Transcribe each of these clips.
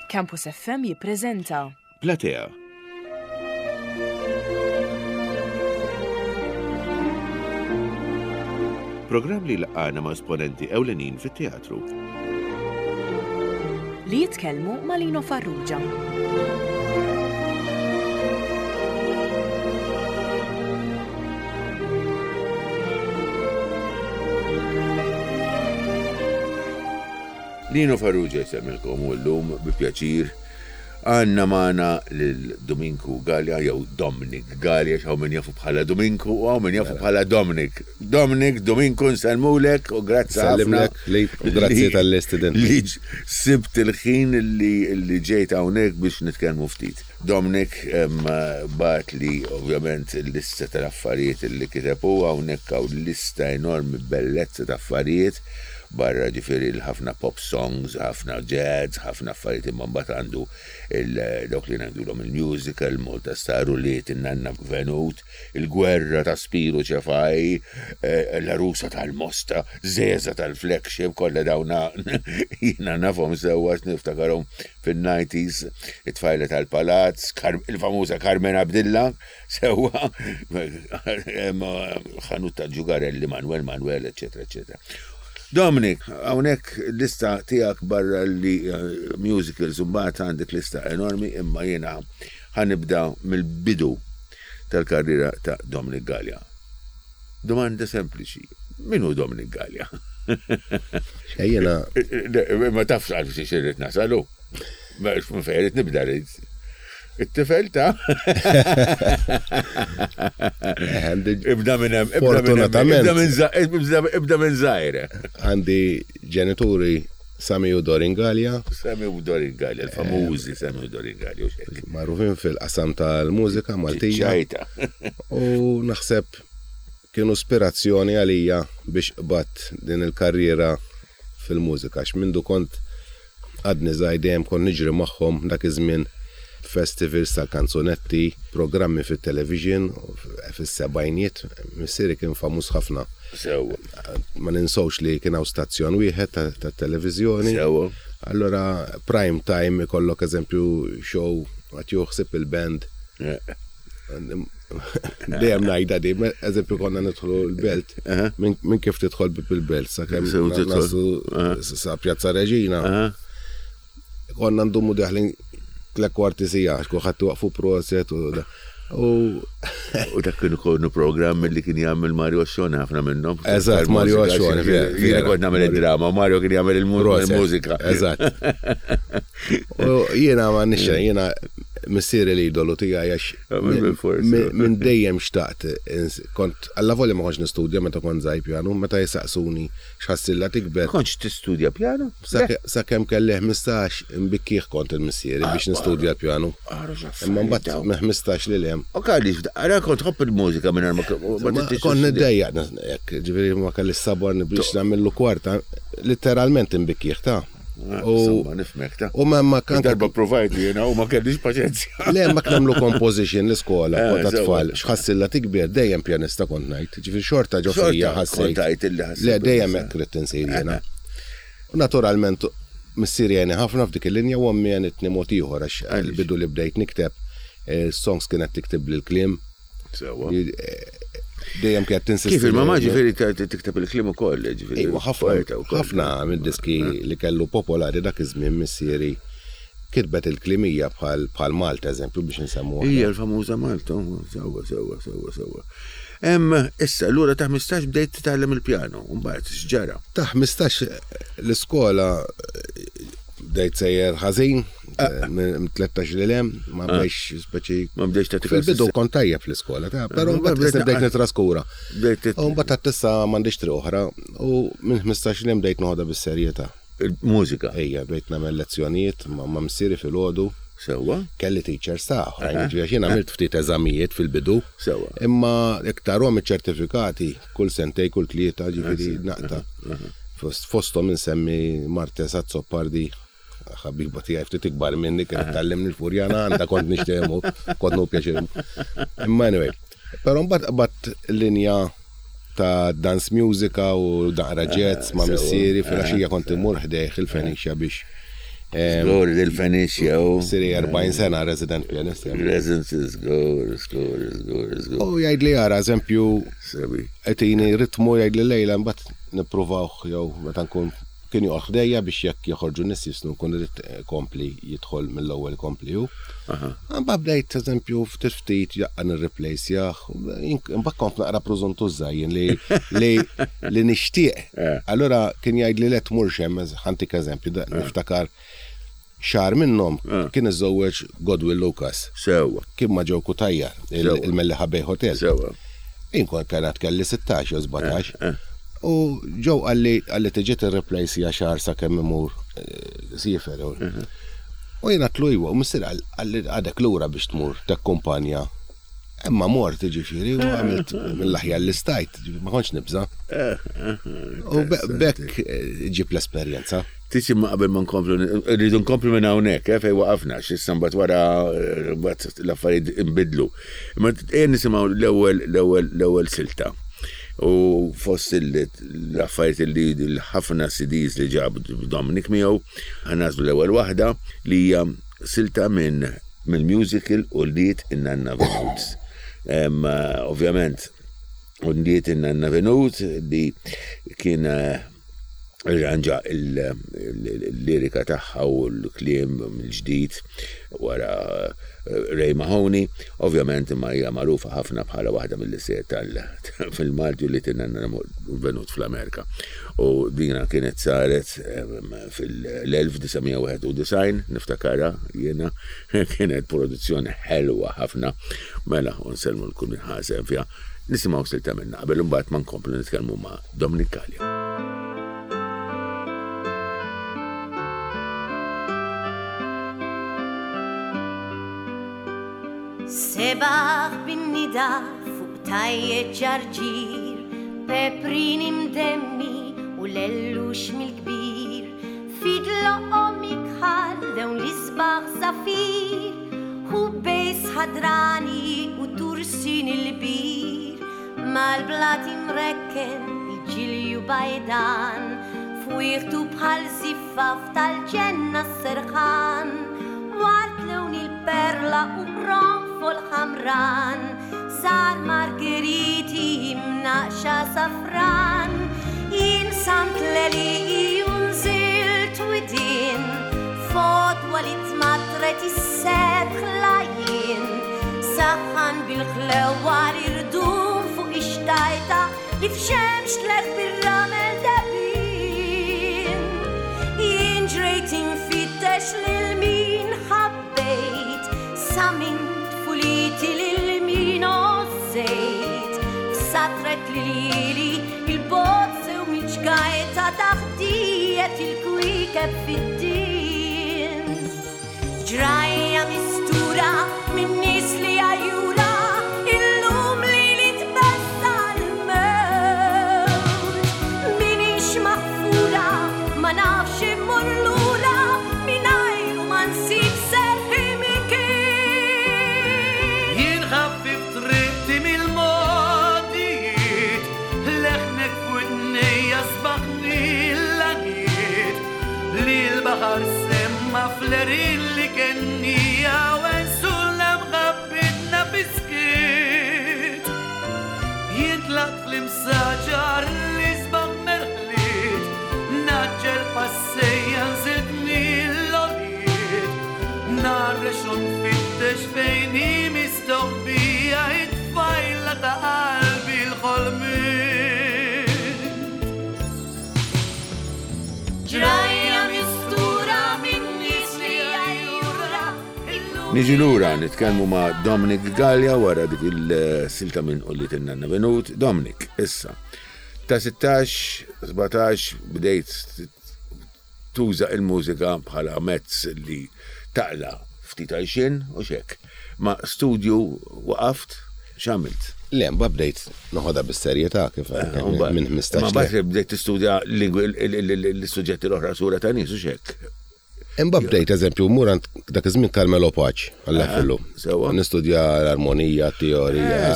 Campus FM jippreżenta. Platea. Programm li laqgħana ma' esponenti ewlenin fit-teatru. Li jitkellmu ma' Lino Farrugia. Lino Farrugia jsemmilkom u llum bi pjaċir għandna magħna lil Dominku Galea jew Dominic Galea x'hawn min jafu bħala Dominku u hawn min jafu bħala Dominic. Dominic, Dominku nsellmulek u grazzi ħafna. Nsellimlek li u grazzi tal-istedin. Li sibt il-ħin li ġejt hawnhekk biex nitkellmu ftit. Dominic bagħatli ovvjament il-lista tal-affarijiet li kiteb hu hawnhekk hawn lista enormi bellezza ta' affarijiet barra ġifieri l-ħafna pop songs, ħafna jazz, ħafna affarijiet imma mbagħad għandu dawk li ngħidulhom il-musical, Malta Star, Ulied in-Nanna Venut, il-Gwerra ta' Spiru Cefai, l-Għarusa tal-Mosta, Żeża tal-Flagship, kollha dawna jiena nafhom sewwa għax niftakarhom fin-nineties, it-Tfajla tal-Palazz, il-famuża Carmen Abdilla, Sewwa, ħanut ta' ġugarelli, Manuel Manuel, eccetera, eccetera. Dominic, hawnhekk lista tiegħek barra li eh, musicals u mbagħad għandek lista enormi imma jiena ħanibda mill-bidu tal-karriera ta' Dominic Galea. Domanda sempliċi, min hu Dominic Galea? Xejjena. Ma tafx għal xi xirrit nasalu. Ma fejn rrid nibda rrid. It-tifel ta' Ibda minn hemm, Fortunatament. Ibda minn żgħir. Għandi ġenituri Sami u Dorin Galea. Sami u Dorin Galea, il-famużi Sami u Dorin Galea. Magħrufin fil-qasam tal-mużika Maltija. Ċajta. U naħseb kienu ispirazzjoni għalija biex qbadt din il-karriera fil-mużika. Għax mindu kont Għadni żgħir dejjem kont niġri magħhom dak iż-żmien festivals tal-kanzunetti, programmi fit-television fis-sebgħinijiet. Missieri kien famuż ħafna. Sewwa. Ma ninsewx li kien hawn stazzjon wieħed tat-televiżjoni. Sewwa. Allura prime time ikollok eżempju show għad jieħu ħsieb il-band. Dejjem ngħidha di, eżempju konna nidħlu l-belt, minn kif tidħol bib il-belt sakemm naslu sa Pjazza Reġina. Konna ndumu deħlin tlek kwarti sija, kulħadd waqfu proset u U U dak kienu konu programm li kien jagħmel Mario Ascione ħafna minnhom. Eżatt, Mario Ascione. Jiena kont nagħmel id-drama, Mario kien jagħmel il-mużika. Eżatt. U jiena ma nixxa, jiena missieri l-idolu tiegħi għax minn dejjem xtaqt kont alla volja ma kontx nistudja meta kont żgħir pjanu, meta jisaqsuni x'ħassilla tikber. Kontx tistudja pjanu? Sakemm kelli 15 nbikkih kont il-missieri biex nistudja l-pjanu. Imma mbagħad minn 15 lil hemm. U kalli, ara kont tħobb il-mużika minn ma Kont niddejjaq hekk, ġifieri ma kelli sabar biex nagħmillu kwarta, litteralment inbikkih ta'. U nifmek ta' U ma ma kan. Darba provajt jiena u ma kellix paċenzja. Le ma nagħmlu composition l-iskola eh, kont tfal, x'ħassilla tikber dejjem pjanista kont ngħid. Ġifieri xorta ġo fija ħassejt. Le dejjem hekk ridt insir jiena. U naturalment missieri għeni ħafna f'dik il-linja u ommi għenitni mod ieħor għax il-bidu li bdejt nikteb eh, songs kienet tiktib l-kliem. Sewa. Dejjem kienet tinsisti. Kif il-mama ġifieri tikteb il-kliem ukoll, ġifieri. Iva, ħafna ħafna mid-diski li kellu popolari dak iż-żmien missieri kitbet il-klimija bħal bħal Malta eżempju biex nsemmu. Hija l-famuża Malta, sewwa sewwa sewwa sewwa. Hemm issa lura ta' 15 bdejt titgħallem il-pjano, u mbagħad x'ġara? Ta' 15 l-iskola bdejt sejjer ħażin, Minn 13 li lem, ma ah. bdejx speċi. Ma bdejx ta' Fil-bidu kont tajjeb fl-iskola, ta' pero mbagħad bdejt nitraskura. U mbagħad ta' tissa m'għandix triq oħra u minn 15 li bdejt noħodha bis-serjetà. Il-mużika. Ejja, bdejt nagħmel lezzjonijiet ma' missieri fil-għodu. Sewwa. Kelli teachers ta' oħrajn, ġifieri jien għamilt ftit eżamijiet fil-bidu. Sewwa. Imma iktar hom iċ-ċertifikati kull sentej, kull tlieta, ġifieri naqta. Fosthom insemmi Martes Azzopardi, ħabiba tiegħi ftit ikbar minni kienet tgħallimni l-Furjana għandha kont nixtiemu, kont nu pjaċir. Imma anyway, però mbagħad qbadt linja ta' dance musica u daqra jazz ma' missieri fil-għaxija kont immur ħdejh il-Fenicia biex. Żgur, il-Fenice jew. Siri 40 sena resident pianist. Resident, żgur, żgur, żgur, żgur. U jgħidli ara, eżempju, qed ritmu jgħidli lejla mbagħad nippruvawh jew meta nkun kien joqgħod ħdejja biex jekk joħorġu nies jisnu nkun irid kompli jidħol mill-ewwel kompli hu. Mbagħad bdejt eżempju ftit ftit jaqqa nirreplacejah, imbagħad kont naqra prużuntuża jien li li li nixtieq. Eh. Allura kien jgħidli le tmurx hemm, ħantik eżempju, eh. niftakar xahar minnhom eh. kien iżżewweġ Godwill Lucas. Sewwa. Kien ma' ġew Kutajjar, il-Melliħa Bay Hotel. Sewwa. Jien kont kienet kelli 16 jew 17. U ġew qalli qalli tiġi tirreplacija xahar sakemm imur siefer. Mhm. U jiena tlu iwa, u missier qalli għadek lura biex tmur tekkumpanja. Imma mort ġifieri u għamilt mill-aħjar li stajt, ma kontx nibża. U bekk eh, ġib l-esperjenza. Tiġi ma qabel ma nkomplu, rridu nkomplu minn hawnhekk, eh, fejn waqafna, x'issa mbagħad wara eh, mbagħad l-affarijiet inbidlu. Imma ejja nisimgħu l-ewwel l-ewwel l-ewwel silta. U fost l-affarijiet li l-ħafna CDs li ġab Dominic miegħu, ħanażlu l-ewwel waħda li hija silta minn mill-musical Ulied in-Nanna Venut. Ovvjament, Ulied in-Nanna Venut li kien eh, irranġa il-lirika tagħha u l-kliem mill-ġdid wara eh, Ray Mahoney, ovvjament imma hija magħrufa ħafna bħala waħda mill-isejjer tal fil-Malti u li tinna venut fl-Amerika. U dina kienet saret fil-1991, niftakarha jiena, kienet produzzjoni ħelwa ħafna, mela u nsellmu l-kull min ħa sehem fiha. Nisimgħu silta minna qabel imbagħad ma nkomplu nitkellmu ma' Dominic Galea. Sebaħ bin-nida fuq tajjet ġarġir, peprin imdemmi u lellux mill-kbir, fid loqom ikħal lewn l-isbaħ zafir, u bejs ħadrani u tursin il-bir, mal-blat imrekken il-ġilju bajdan, fwieħtu bħal ziffaf tal-ġenna s-serħan, wart lewn il-perla u qronfol ħamran, sar margheriti imnaqxa safran, jien samt leli u nżilt widien, fodwa li tmatret is-sebħ lajjien, saħħan bil-ħlewa li rdum fuq ix-xtajta li f'xemx tleħ bir-ramel debin. Jien ġrejt infittex lil min ħabbejt, sa minn tfuliti lil min għożżejt. F'satret lili il-bozz u mill-ġgajta taħdiet il-kwiekeb fid-din. Ġrajja mistura minn nies li għajjura, illum li li tbessa l-mewt. Minix maħfura, ma nafx immur lura, mingħajru ma nsib serħi mikien. Jien ħaffif triqti mill-modijiet, leħnek f'widnejja sbaħni l-għaniet, li l-baħar semma flerin li kennija u ensulla mħabbitna biskiet. Jien tlaqt fl-imsaġar li sbaħ merħliet, naġġel passejja nżilt mill-għoliet, narrex u nfittex fejn hi mistoħbija it-tfajla ta' qalbi l-ħolmiet. Ġrajja mistura minn nies li għajjura, illum Niġi lura nitkellmu ma' Dominic Galea wara dik il-silta minn Ulied in-Nanna Venut. Dominic, issa, ta' 16, 17 bdejt tuża il-mużika bħala mezz li taqla ftit għajxien u xek. Ma studju waqaft, x'għamilt? Le, mbagħad bdejt noħodha bis-serjetà kif minn 15. Ma mbagħad bdejt tistudja l-suġġetti l-oħra sura ta' nies u xek. Imbagħad bdejt eżempju mur għand dak iż-żmien Carmelo Pace, Alla jħillu. Sewwa. Nistudja l-armonija, t-teorija.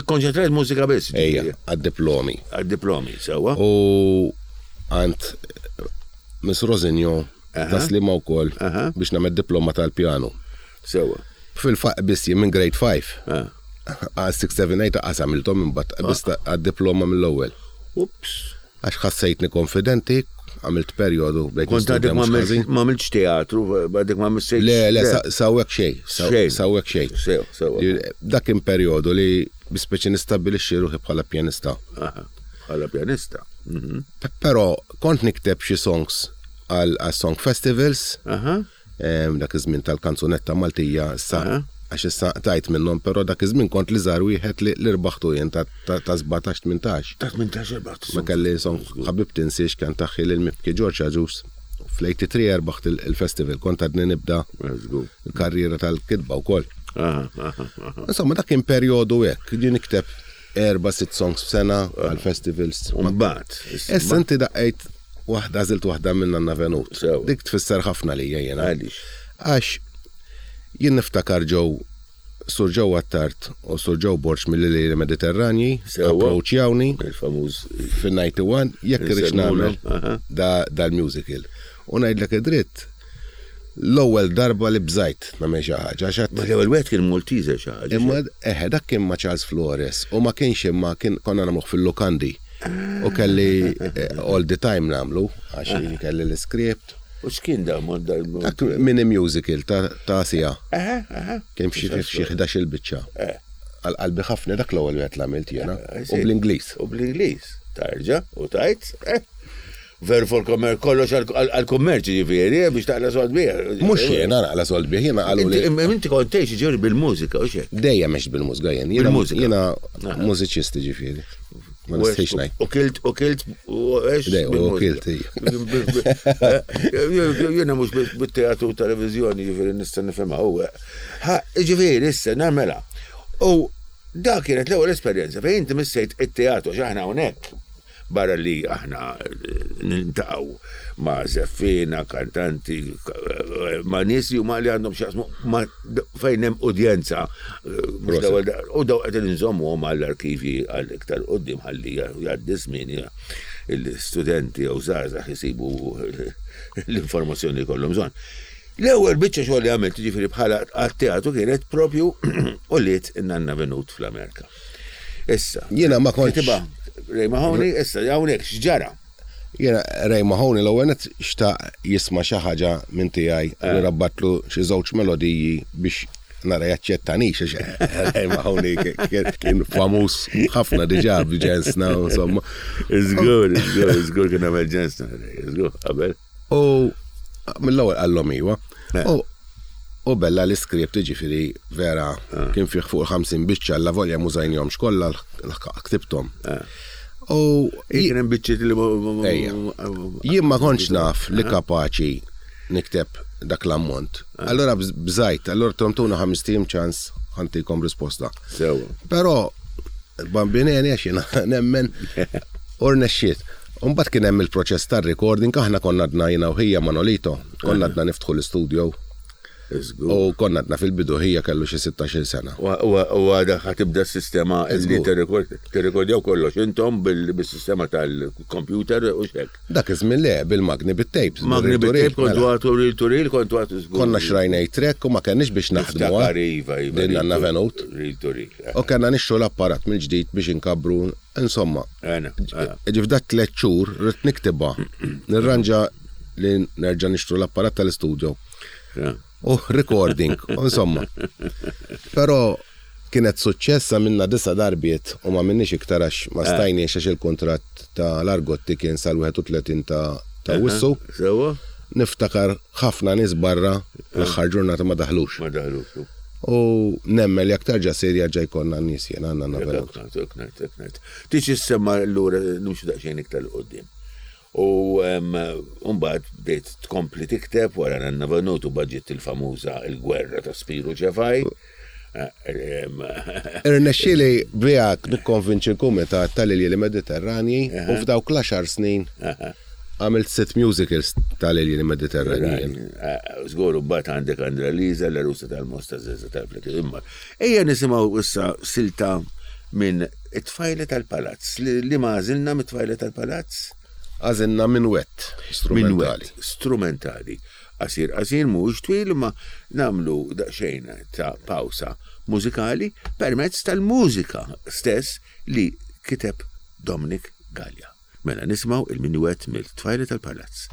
Konċentrajt mużika biss. Ejja, għad-diplomi. Għad-diplomi, sewwa. U għand Miss Rosignon. Tas-Sliema wkoll biex nagħmel diploma tal-pjanu. Sewwa. Fil-fatt biss jien minn grade 5. Għal 6, 7, 8 qas għamilthom imbagħad biss għad-diploma mill-ewwel. Ups. Għax ħassejtni konfidenti, għamilt perjodu bdejt Kont għadek nistudja mhux ħażin. ma għamiltx teatru, għadek ma missejtx. Le, le, sawwek xejn, Xejn. sawwek xejn. Sew, sew. Dak kien perjodu li bispeċi nistabbilixxi ruħi bħala pjanista. Bħala pjanista. Mhm. Però kont nikteb xi songs għal song festivals. Dak iż-żmien tal-kanzunetta Maltija issa għax issa tajt minnhom, però dak iż-żmien kont li żgħar wieħed li rbaħtu jien ta' 17-18. Ta' 18 rbaħt. Ma kelli song ħabib tinsiex kien taħħi lil mibki Ġorġ Aġus. Fl-83 rbaħt il-festival, kont għadni nibda l-karriera tal-kitba wkoll. Insomma, dak kien perjodu hekk, ġie nikteb erba' sitt songs f'sena għal-festivals. Mbagħad. Issa inti daqqejt waħda għażilt waħda minn Nanna Venut. Dik tfisser ħafna lija jiena. Għaliex? Għax jien niftakar ġew Sur Joe Attard u Sur Joe Borg mill-Iliri Mediterranji approachjawni il-famuż fin-91 jekk irridx nagħmel dal-musical. U ngħidlek id-dritt, l-ewwel darba li bżajt nagħmel xi ħaġa għax Ma l-ewwel wieħed kien Maltese xi ħaġa. Imma eħe dak kien ma' Charles Flores u ma kienx imma kien konna nagħmluh fil-lukandi. U kelli eh, all the time nagħmlu għax kelli l-iskript. U x'kien da Dak mini musical ta' sija. Kien f'xi f'xi 11 il-biċċa. Eh. Għal qalbi ħafna dak l-ewwel wieħed l-għamilt jiena. U bl-Ingliż. U bl-Ingliż. Tarġa' u tajt. Eh. Ver for commerce, kollox għal-kummerċ ġifieri, eh, biex taqla sold bih. Mhux jiena naqla sold bih, jiena qalu li. Inti kont tgħix ġifieri bil-mużika u xek. Dejjem għext bil-mużika jien. Bil-mużika. Jiena mużiċist ġifieri. Ma nistħix ngħid. U kilt, u kilt, u għex. U kilt, Jiena mhux bit-teatru u televiżjoni ġifieri nista' nifhimha u. Ġifieri issa nagħmela. U dak kienet l-ewwel esperjenza fejn inti missejt it-teatru x'aħna hawnhekk Barra li aħna niltaqgħu ma' żeffiena, kantanti, ma' nies li huma li għandhom x'jaqsmu ma' fejn hemm udjenza. U daw qegħdin inżommuhom għall-arkivji għal iktar quddiem ħalli jgħaddi żmien l-istudenti jew żgħażagħ isibu l-informazzjoni li jkollhom bżonn. L-ewwel biċċa xogħol li għamilt jiġifieri bħala għat-teatru kienet propju Ulied in-Nanna Venut fl-Amerika. Issa. Jiena ma kontx. Kitibha Ray Mahoney, issa hawnhekk x'ġara? Jiena Ray Mahoney l-ewwel nett xtaq jisma' xi ħaġa minn tiegħi u eh. rabbatlu xi żewġ melodiji biex nara jaċċettanix għax Ray Mahoney kien famuż ħafna diġà b'ġensna insomma. Żgur, żgur, żgur kien għamel ġensna, żgur qabel. U mill-ewwel qallhom iwa. Eh. U bella l-iskript ġifieri vera eh. kien fih fuq 50 biċċa la volja mużajnihomx kollha ktibthom. Eh. U kien hemm biċċiet li Jien ma kontx naf li kapaċi nikteb dak l-ammont. Allora bżajt, allora tomtuna ħames tim ċans ħantikom risposta. Sewa. Però bambineni għax jiena nemmen u rnexxiet. U mbagħad kien hemm il-proċess tar-recording, aħna konna għadna jiena u ħija Manolito, konna għadna niftħu l-istudio. U konna għadna fil-bidu ħija kellu xi 16-il sena. U għadha ħa tibda s-sistema li tirrekordjaw kollox intom bis-sistema tal-computer u x'hekk. Dak iż-żmien le, bil-magni bit-tapes. Magni bit-tape kontu għatu reel to reel, kontu għatu żgur. Konna xrajna track u ma kenniex biex naħdmu. Niftakar iva, iva. Din għandna venut. Reel to reel. U kellna nixtru l-apparat mill-ġdid biex inkabbru, insomma. Ġif dak tliet xhur rrid niktibha, nirranġa li nerġa' nixtru l-apparat tal-istudio. U recording, insomma. Però kienet suċċess għamilna disa' darbiet u ma għamilniex iktar għax ma stajniex għax il-kuntratt ta' l-Argotti kien sal-31 ta' Awwissu. Sewwa. Niftakar ħafna nies barra l-aħħar ġurnata ma daħlux. Ma daħlux. U nemmen li jekk terġa' ssir jerġa' jkollna n-nies jiena għandna nagħmlu. Hekk ngħid, hekk ngħid, hekk ngħid. Tiġi ssemma allura nimxu daqsxejn iktar 'l quddiem. U mbagħad bdejt tkompli tikteb wara Nanna Venut u baġit il-famuża Il-Gwerra ta' Spiru Ċefaj. Irnexxieli biha nikkonvinċi l-Kumitat tal-Iljieli Mediterranji u f'dawk l-għaxar snin għamilt sitt musicals tal-Iljieli Mediterranji. Żgur u mbagħad għandek Andra Liza, l-għarusa tal-Mosta Żeża tal-Flek. Imma ejja nisimgħu issa silta minn It-Tfajla tal-Palazz. Li ma għażilna mit-Tfajla tal-Palazz? Għażilna minwett strumentali. Minwett strumentali. Qasir qasir mhuwiex twil imma nagħmlu daqsxejn ta' pawsa mużikali permezz tal-mużika stess li kiteb Dominic Galea. Mela nisimgħu il-minuett mill-Tfajla tal-Palazz.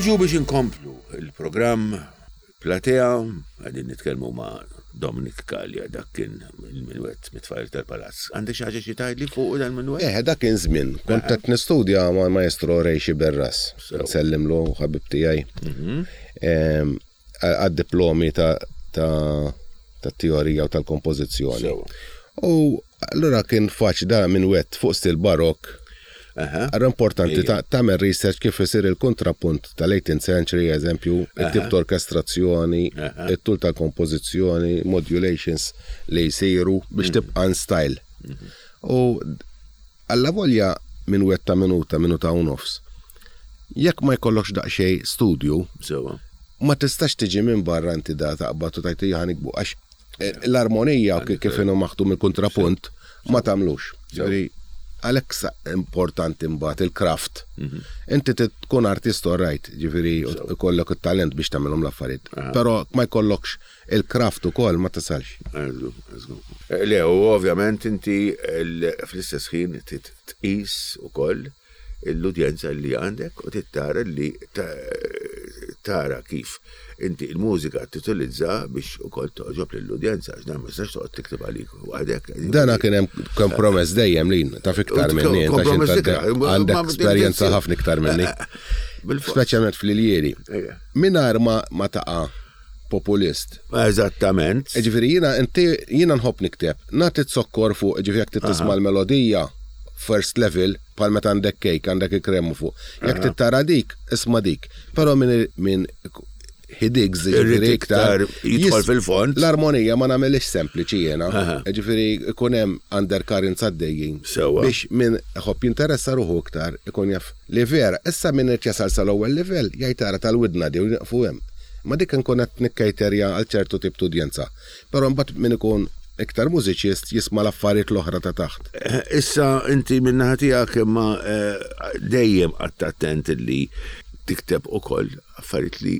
Niġu biex inkomplu il-programm Platea, għadin nitkellmu ma' Dominic Gallia, dak kien il-minwet mit-tfajl tal-palazz. Għandek xi ħaġa xi tgħidli fuq dan minwet? Eh, dak kien żmien. Kont qed nistudja ma' maestro Ray Xiberras. Nsellimlu ħabib tiegħi. Mhm. Għad-diplomi ta' ta' teorija u tal-kompożizzjoni. U allura kien faċ da minn wet fuq stil barok. Għarra importanti tagħmel research kif isir il-kontrapunt tal-18th century, eżempju, it-tip ta' orkestrazzjoni, it-tul tal-kompożizzjoni, modulations li jsiru biex mhm. tibqa' in style. Mhm. U alla volja minn wet ta' minuta, minuta u nofs. Jekk ma jkollokx daqsxejn studju, ma tistax tiġi minn barra inti da taqbad u tajt ħa nikbu għax eh, l-armonija kif inhu maħdum il-kontrapunt ma tagħmlux. Ġifieri għalhekk importanti mbagħad il-craft. Mhm. Inti tkun artist right, ġifieri ikollok it-talent biex tagħmilhom l-affarijiet. Però ma jkollokx il-craft ukoll ma tasalx. Eh, le, u ovvjament inti fl-istess ħin tqis ukoll l-udjenza li għandek u trid tara li tara kif inti l-mużika titilizza biex ukoll toġob lill-udjenza għax dan ma tistax toqgħod tikteb għalik waħdek. Dana kien hemm kompromess dejjem li taf iktar minni, għandek esperjenza ħafna iktar minni. Speċjalment fl-iljieri. Mingħajr ma taqa' populist. Eżattament. Ġifieri jiena inti jiena nħobb nikteb. Nagħti zokkor fuq, ġifieri jekk tisma' l-melodija first level bħal meta għandek cake, għandek il-kremu fuq. Jekk tittara dik, isma' dik. Però min min he digs, ġifieri iktar jidħol fil-fond. L-armonija ma nagħmilix sempliċi jiena. Ġifieri ikun hemm undercurrents għaddejjin. Biex min iħobb jinteressa ruħu iktar ikun jaf Li vera, issa min irid jasal sal-ewwel livell jgħid ara tal-widna di u nieqfu hemm. Imma dik inkun qed nikkejterja għal ċertu tip t'udjenza. Però imbagħad min ikun iktar mużiċist jisma' l-affarijiet l-oħra ta' taħt. Issa inti min-naħa tiegħek imma dejjem qgħadt attent li tikteb ukoll affarijiet li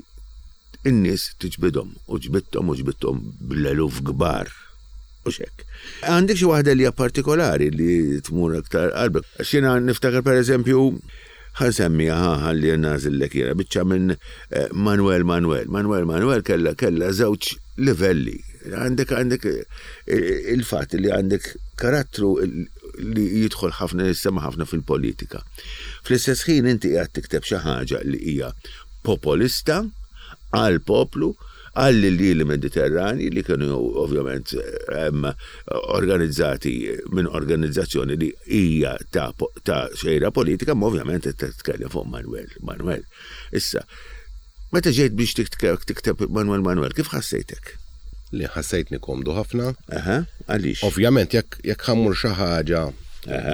n-nies tiġbidhom u ġbidthom u ġbidthom bl-eluf kbar. Hux hekk. Għandek xi waħda li hija partikolari li tmur aktar qalbek? Għax jiena niftakar pereżempju ħa nsemmiha ħa ħalli nagħżillek jiena biċċa minn eh, Manuel Manuel. Manuel Manuel kellha kellha żewġ livelli. Għandek għandek eh, il-fatt li għandek karattru li jidħol ħafna jissema ħafna fil-politika. Fl-istess ħin inti qiegħed tikteb xi ħaġa li hija popolista għal poplu għall-iljieli Mediterranji li kienu ovvjament organizzati minn organizzazzjoni li hija ta' ta' xejra politika, ma ovvjament qed titkellem fuq Manuel Manuel. Issa, meta ġejt biex tikteb Manuel Manuel, kif ħassejtek? Li ħassejtni komdu ħafna. Aha, għaliex? Ovvjament jekk jekk ħammur xi ħaġa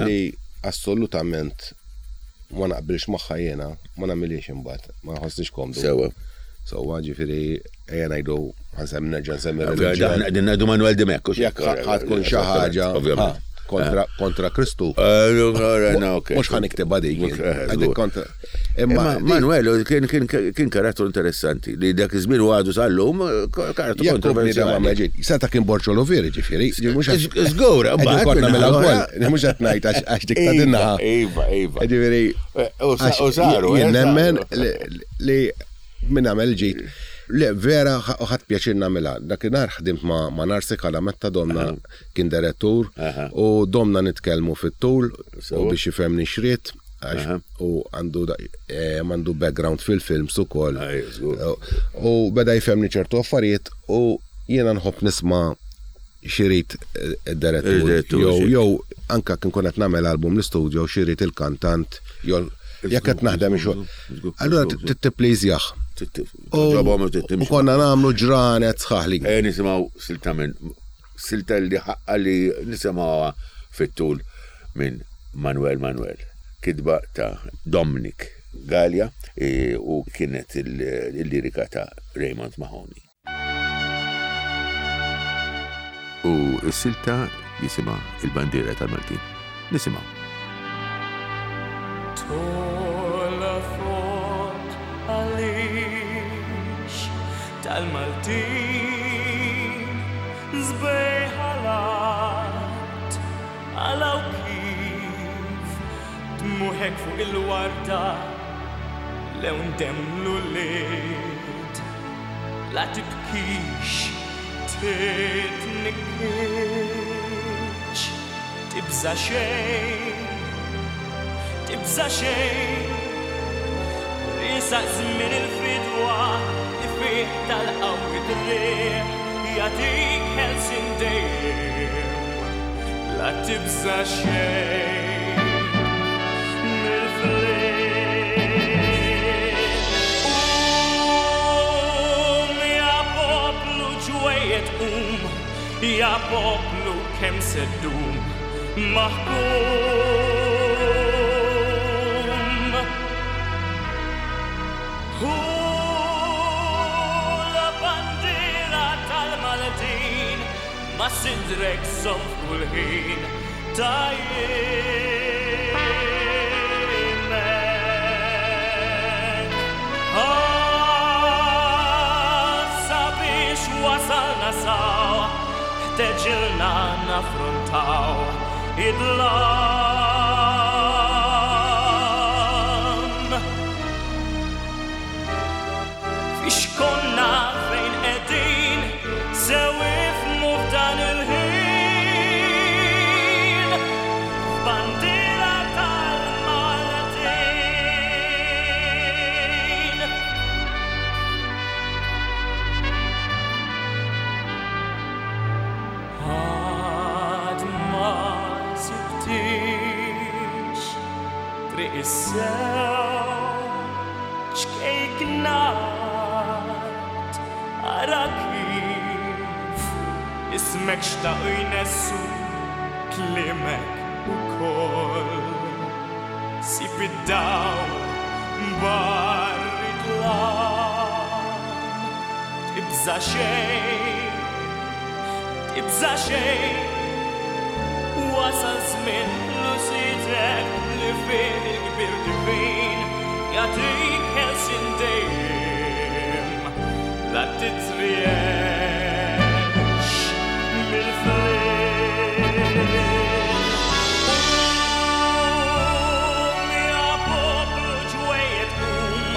li assolutament ma naqbilx magħha jiena, ma nagħmilhiex imbagħad, ma nħossniex komdu. Sewwa. Sewwa, ġifieri ejja ngħidu ħansem nerġa' nsemmi reliġjon. Aħna qegħdin ngħidu Manuel Dimech. Jekk ħadd tkun xi ħaġa kontra kontra Kristu. Eh, Mhux ħa niktibha dik. Eh, kontra. Imma Manuel kien kien kien karattru interessanti li dak iż-żmien u għadu sal-lum karattru kontroversjali. Seta kien Borċo Loveri ġifieri. Żgur, mbagħad konna mela wkoll. Mhux qed ngħid għax dik ta' dinnaħa. Iva, iva. Ġifieri. U saru. Jien nemmen li min għamel ġid. Le, vera, ħadd pjaċir nagħmilha. Dakinhar ħdimt ma' Narsi Kalametta domna kien direttur u domna nitkellmu fit-tul u biex jifhemni x'ried. Għax u għandu eh, għandu background fil-films ukoll. U beda jfemni ċertu affarijiet u jiena nħobb nisma' xirid eh, id-direttur. Jew jew anka kien kun qed nagħmel album l-istudio xirid il-kantant jew jekk qed naħdem xogħol. Allura tittipliżjah. U konna nagħmlu ġranet sħaħ li. Eh, nisimgħu silta minn Silta li ħaqqa li nisimgħuha fit-tul minn Manuel Manuel. Kitba ta' Dominic Galea u kienet il-lirika ta' Raymond Mahoney. U s-silta jisimha Il-Bandiera tal-Maltin. Nisimgħu. Tola fot għaliex tal-Maltin Sbejħalat għalaw kif dmuħek fuq il-warda lewn demm l-ulied. La tibkix, titnikkitx, tibża' xejn, tibża' xejn. Riesaq żmien il-fidwa li fih tal-qawwi driegħ jagħtik ħelsien dejjem. La tibża' xejn mill-flieg. Qum ja poplu ġwejjed qum, ja poplu kemm se ddum maħkum. Hu la bandiera tal-Maltin ma' sidrek żomm f'kull ħin ta' jiemek. Ah, sabiex wasalna saw, ħteġilna naffrontaw id-dlam. Fiex konna fejn qegħdin sew ifhmu f'dan il-ħin f'bandiera tal-Maltin. Għad ma sibtix triq is-sew ċkejknat ara kif ismek xtaqu jnessu kliemek ukoll. Sib id-dawl barri dlam tibża' xejn, tibża' xejn. Wasal żmien lusitek li fih il-kbir divin jagħtik ħelsien dejjem. La titriex mill-flieg. Qum ja poplu ġwejjed qum,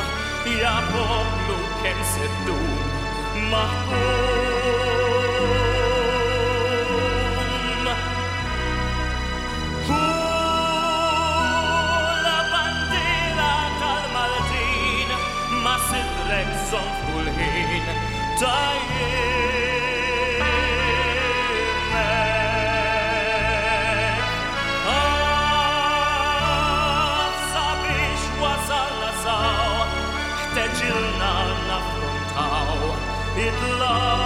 ja poplu kemm se ddum maħkum. Hu la bandiera tal-Maltin ma' sidrek żomm f'kull ħin ta' jiemek. Ah, sabiex wasalna saw, ħteġilna naffrontaw id-dlam.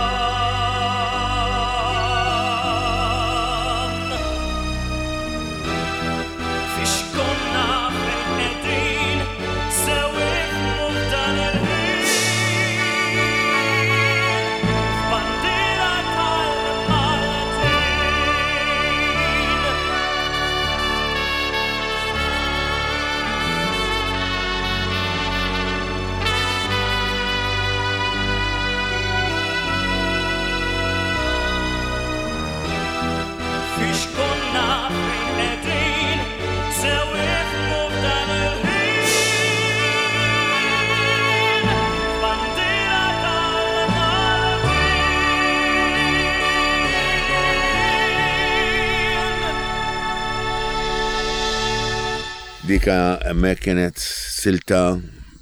Dika hemmhekk kienet silta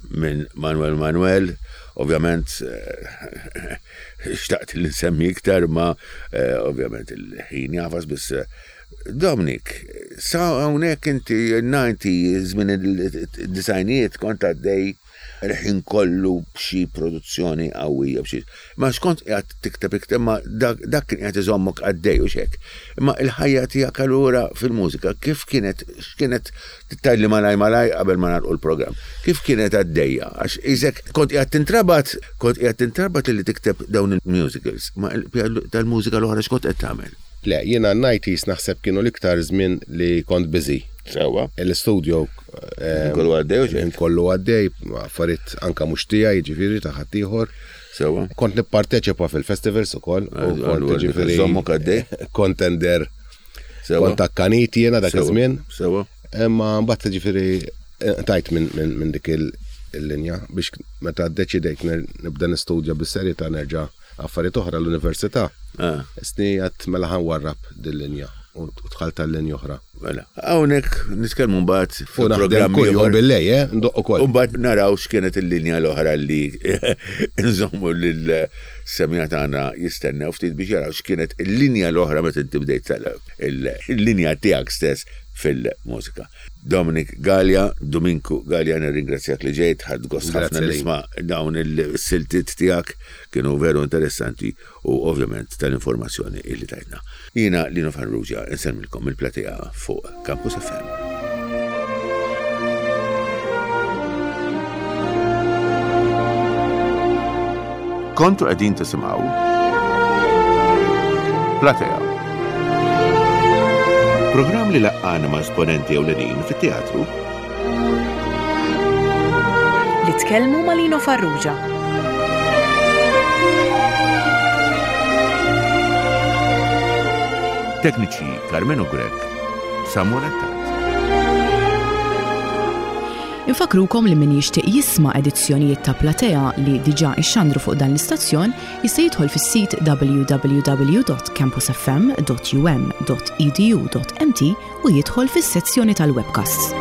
minn Manuel Manuel, ovvjament eh, xtaqt li nsemmi iktar ma eh, ovvjament il-ħin jafas biss eh, Dominic, sa hawnhekk inti 90 żmien il-disajnijiet kont għaddej il-ħin kollu b'xi produzzjoni qawwija b'xi. Ma xkont qiegħed tikteb iktar ma dak kien qiegħed iżommok għaddej u xek. Imma il-ħajja tiegħek allura fil-mużika kif kienet x'kienet tgħidli malaj malaj qabel ma nagħlqu l-programm. Kif kienet għaddejja? Għax isek kont qiegħed tintrabat, kont qiegħed tintrabat li tikteb dawn il-musicals, ma tal-mużika l-oħra x'kont qed tagħmel? Le, jiena n-90s naħseb kienu l-iktar żmien li kont busy. Sewwa. L-istudio. Eh, kollu għaddej u xejn. Kollu għaddej, affarijiet anka mhux tiegħi, jiġifieri ta' ħaddieħor. Sewwa. Kont nipparteċipa fil-festivals ukoll. U kont jiġifieri. Żommok għaddej. Kontender. Kont akkanit jiena dak iż-żmien. Sewwa. Imma mbagħad jiġifieri eh, tajt minn dik il-linja biex meta ddeċidejt nibda nistudja bis-serjetà nerġa' affarijiet oħra l-università. Ah. Isni għat mela ħan warrab dil-linja u tħalt tal-linja oħra. Mela, hawnhekk nitkellmu mbagħad fuq programm ieħor billej, eh, ndoq ukoll. U mbagħad naraw x'kienet il-linja l-oħra li nżommu lil semja tagħna jistennew ftit biex jaraw x'kienet il-linja l-oħra meta inti bdejt il-linja tiegħek stess fil-mużika. Dominic Galea, Duminku Galea, nirringrazzjak li ġejt, ħadt gost ħafna nisma' dawn il-siltiet tiegħek, kienu veru interessanti u ovvjament tal-informazzjoni illi tajtna. Jiena Lino Farrugia insellmilkom mill-platea fuq Campus FM. Kontu qegħdin tisimgħu Platea. Programm li laqqana ma' esponenti ewlenin fit-teatru. Li tkellmu ma' Lino Farrugia. Tekniċi Carmenu Grech, Samuel Attard. Infakrukom li min jixtieq jisma' edizzjonijiet ta' Platea li diġà ixxandru fuq dan l-istazzjon jista' jidħol fis-sit www.campusfm.um.edu.mt u jidħol fis-sezzjoni tal-webcasts.